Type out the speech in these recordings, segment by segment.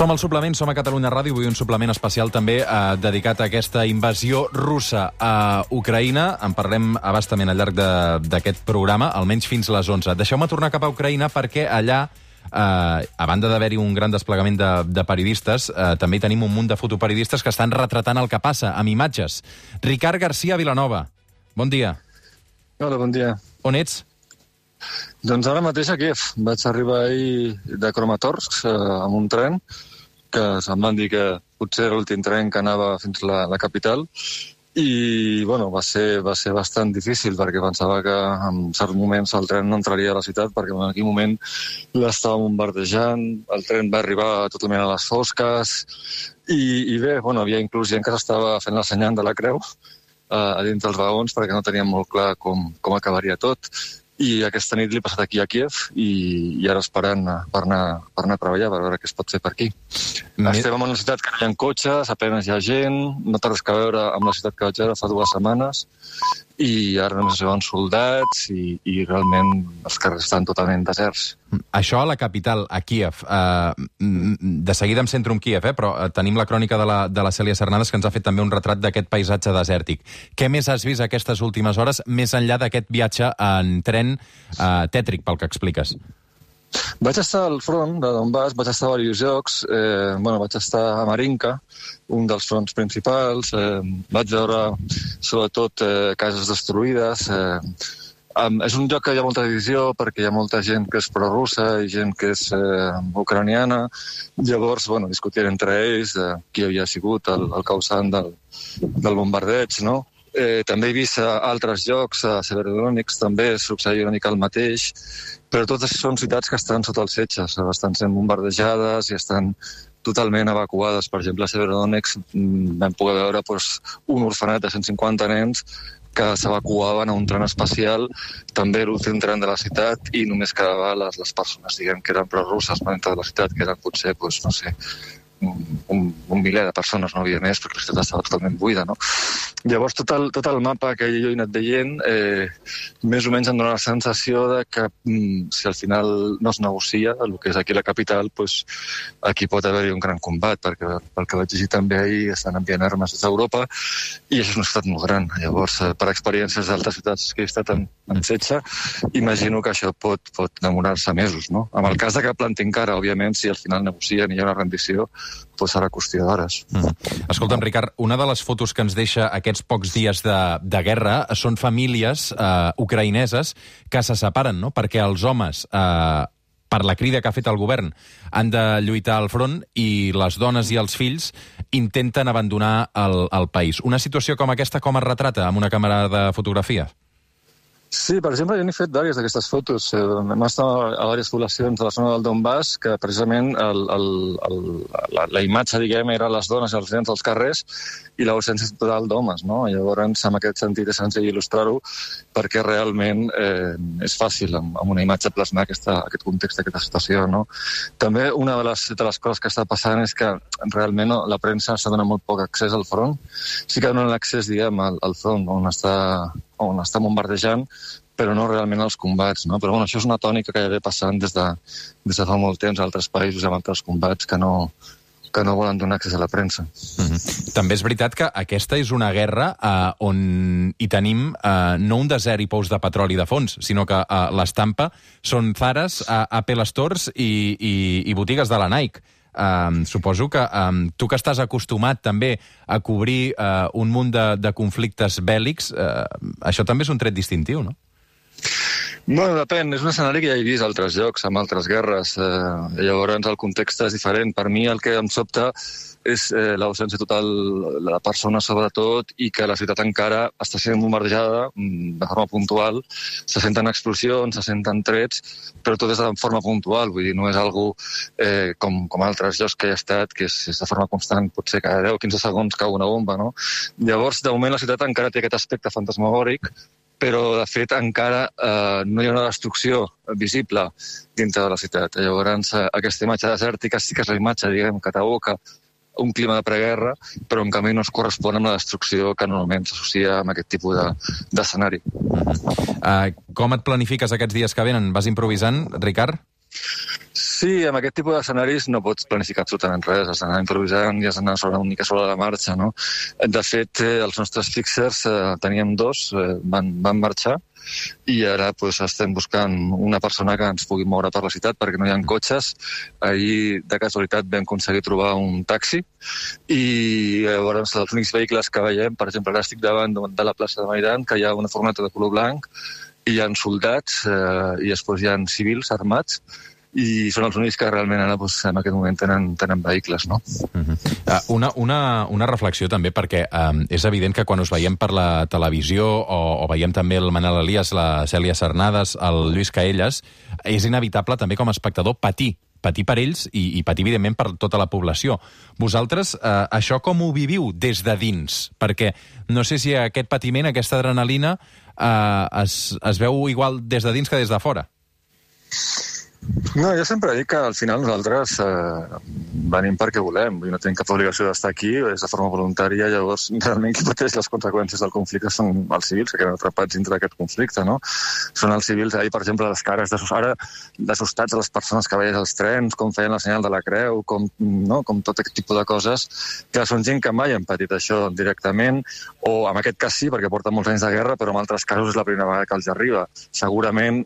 Som al suplement, som a Catalunya Ràdio, avui un suplement especial també dedicat a aquesta invasió russa a Ucraïna. En parlem abastament al llarg d'aquest programa, almenys fins a les 11. Deixeu-me tornar cap a Ucraïna perquè allà, a banda d'haver-hi un gran desplegament de periodistes, també hi tenim un munt de fotoperiodistes que estan retratant el que passa, amb imatges. Ricard García Vilanova, bon dia. Hola, bon dia. On ets? Doncs ara mateix a Kiev. Vaig arribar ahir de Kramatorsk amb un tren, que se'm van dir que potser era l'últim tren que anava fins a la capital, i bueno, va ser bastant difícil perquè pensava que en certs moments el tren no entraria a la ciutat perquè en aquell moment l'estava bombardejant, el tren va arribar totalment a les fosques i bé, bueno, havia inclús gent que s'estava fent la senyal de la creu a dins dels vagons perquè no teníem molt clar com acabaria tot. I aquesta nit l'he passat aquí a Kiev i ara esperant per anar a treballar, per veure què es pot fer per aquí. Estem en una ciutat que no hi ha cotxes, apenas hi ha gent, no té res a veure amb la ciutat que vaig veure fa 2 setmanes, i ara només es veuen soldats i realment els carrers estan totalment deserts. Això a la capital, a Kiev. De seguida em centro en Kiev, però tenim la crònica de la Cèlia Cernadas, que ens ha fet també un retrat d'aquest paisatge desèrtic. Què més has vist aquestes últimes hores, més enllà d'aquest viatge en tren tètric, pel que expliques? Vaig estar al front de Donbass, vaig estar a diversos llocs, vaig estar a Marinka, un dels fronts principals, vaig veure sobretot cases destruïdes. És un lloc que hi ha molta divisió perquè hi ha molta gent que és prorussa i gent que és ucraniana. Llavors, discutien entre ells qui havia sigut el causant del bombardeig, no? També he vist altres llocs, a Severodonetsk també succeïa una mica el mateix, però totes són ciutats que estan sota els setges, estan sent bombardejades i estan totalment evacuades. Per exemple, a Severodonetsk vam poder veure un orfenat de 150 nens que s'evacuaven a un tren espacial, també l'últim tren de la ciutat, i només quedaven les persones, diguem, que eren prorusses dintre de la ciutat, que eren potser, un miler de persones, no havia més, perquè la ciutat estava totalment buida, no? Llavors, tot el mapa que jo he anat veient, més o menys em dona la sensació de que si al final no es negocia el que és aquí la capital, aquí pot haver-hi un gran combat, perquè pel que vaig llegir també ahir estan enviant armes des d'Europa, i això és una ciutat molt gran. Llavors, per experiències d'altres ciutats que he estat en setge, imagino que això pot demorar-se mesos, no? En el cas de que plantin cara, òbviament, si al final negocien i hi ha una rendició, serà qüestió d'hores. Escolta'm, Ricard, una de les fotos que ens deixa aquests pocs dies de guerra són famílies ucraïneses que se separen, no? Perquè els homes, per la crida que ha fet el govern, han de lluitar al front i les dones i els fills intenten abandonar el país. Una situació com aquesta, com es retrata amb una càmera de fotografia? Sí, per exemple, jo n'he fet diverses d'aquestes fotos. Hem estat a diverses poblacions de la zona del Donbass que precisament la imatge, diguem, era les dones i els nens als carrers i l'ausència total d'homes, no? Llavors, en aquest sentit, és senzill il·lustrar-ho perquè realment és fàcil amb una imatge plasmar aquest context, aquesta situació, no? També una de les coses que està passant és que realment la premsa està donant molt poc accés al front. Sí que donen l'accés, diguem, al front on està bombardejant, però no realment als combats, no? Però això és una tònica que ja ve passant des de fa molt temps a altres països amb altres combats que no volen donar accés a la premsa. També és veritat que aquesta és una guerra on hi tenim no un desert i pous de petroli de fons, sinó que l'estampa són Zaras, Apple Stores i botigues de la Nike. Suposo que tu que estàs acostumat també a cobrir un munt de conflictes bèl·lics, això també és un tret distintiu, no? Bueno, depèn. És un escenari que ja he vist a altres llocs, amb altres guerres. Llavors el context és diferent. Per mi el que em sobta és l'ausència total de la persona, sobretot, i que la ciutat encara està sent bombardejada de forma puntual. Se senten explosions, se senten trets, però tot és de forma puntual. Vull dir, no és algo com altres llocs que he estat, que és de forma constant, potser cada 10 o 15 segons cau una bomba, no? Llavors, de moment, la ciutat encara té aquest aspecte fantasmagòric, però, de fet, encara no hi ha una destrucció visible dintre de la ciutat. Llavors, aquesta imatge desèrtica sí que és la imatge, diguem, que t'evoca un clima de preguerra, però en canvi no es correspon amb la destrucció que normalment s'associa amb aquest tipus d'escenari. Com et planifiques aquests dies que venen? Vas improvisant, Ricard? Sí, Sí, amb aquest tipus d'escenaris no pots planificar absolutament res, has d'anar improvisant i has d'anar una mica sobre la marxa, no? De fet, els nostres fixers, teníem 2, van marxar, i ara estem buscant una persona que ens pugui moure per la ciutat perquè no hi ha cotxes. Ahir, de casualitat, vam aconseguir trobar un taxi i llavors els únics vehicles que veiem, per exemple, ara estic davant de la plaça de Maidan, que hi ha una furgoneta de color blanc, i hi ha soldats i després hi ha civils armats, i són els únics que realment ara, en aquest moment tenen vehicles, no? Una reflexió també, perquè és evident que quan us veiem per la televisió o veiem també el Manel Elias, la Cèlia Sernades, el Lluís Caelles, és inevitable també com a espectador patir per ells i patir, evidentment, per tota la població. Vosaltres, això com ho viviu des de dins? Perquè no sé si aquest patiment, aquesta adrenalina, es veu igual des de dins que des de fora. No, jo sempre dic que al final nosaltres venim perquè volem, no tenim cap obligació d'estar aquí, és de forma voluntària, llavors realment qui pateix les conseqüències del conflicte són els civils que queden atrapats dintre d'aquest conflicte, no? Són els civils, ahir, per exemple, les cares d'assustats de les persones que veies als trens, com feien la senyal de la creu, com tot aquest tipus de coses, que són gent que mai han patit això directament, o en aquest cas sí, perquè porta molts anys de guerra, però en altres casos és la primera vegada que els arriba. Segurament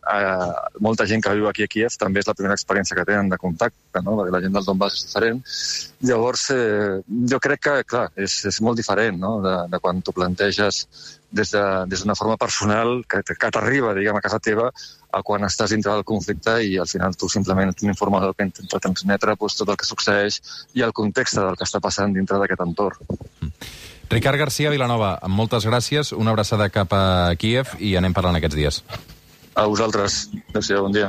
molta gent que viu aquí a Kíev també és la primera experiència que tenen de contacte, no? Perquè la gent del Donbass és diferent. Llavors, jo crec que, clar, és molt diferent, no? De quan t'ho planteges des d'una forma personal que t'arriba, diguem, a casa teva, a quan estàs dintre del conflicte i al final tu simplement ets un informador que intenta transmetre tot el que succeeix i el context del que està passant dintre d'aquest entorn. Ricard García Vilanova, moltes gràcies, una abraçada cap a Kíev i anem parlant aquests dies. A vosaltres. Adéu-siau, bon dia.